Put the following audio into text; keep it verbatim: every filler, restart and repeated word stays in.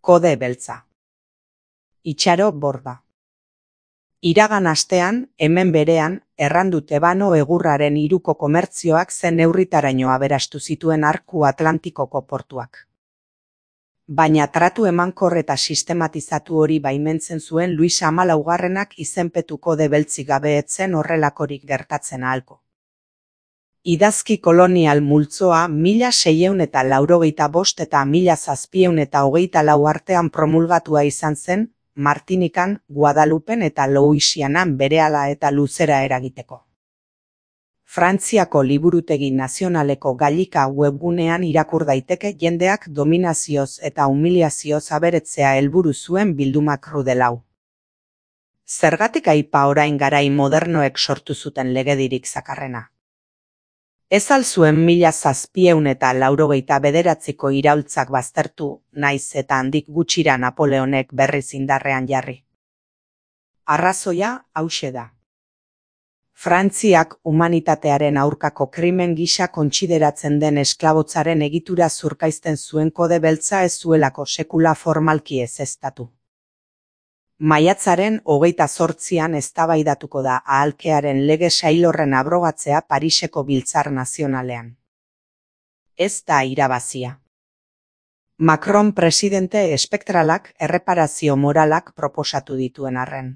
Kode beltza. Itxaro borda. Iragan astean, hemen berean, errandu Tebano egurraren hiruko komertzioak zen neurritaraino aberastu zituen arku Atlantikoko portuak. Baina tratu emankor eta sistematizatu hori baimentzen zuen Luis hamalaugarrenak izenpetu kode beltzik gabe ez zen horrelakorik gertatzen ahalko. Idazki kolonial multzoa mila seiehun eta laurogeita bost eta mila zazpiehun eta hogeita lau artean promulgatua izan zen, Martinikan, Guadalupen eta Louisianan berehala eta luzera eragiteko. Frantziako Liburutegi Nazionaleko Gailika webgunean irakur daiteke jendeak dominazioz eta humiliazioz aberetzea helburu zuen bilduma krudelau. Zergatik aipa orain garai modernoek sortu zuten legedirik zakarrena? Ez al zuen mila zazpiehun eta laurogeita bederatziko iraultzak baztertu, naiz eta handik gutxira Napoleonek berriz indarrean jarri. Arrazoia hauxe da. Frantziak humanitatearen aurkako krimen gisa kontsideratzen den esklabotzaren egitura zurkaizten zuen kode beltza ez zuelako sekula formalki ezeztatu. Maiatzaren hogeita zortzian eztabaidatuko da ahalkearen lege sailorren abrogatzea Pariseko Biltzar Nazionalean. Ez da irabazia. Macron presidente espektralak erreparazio moralak proposatu dituen arren.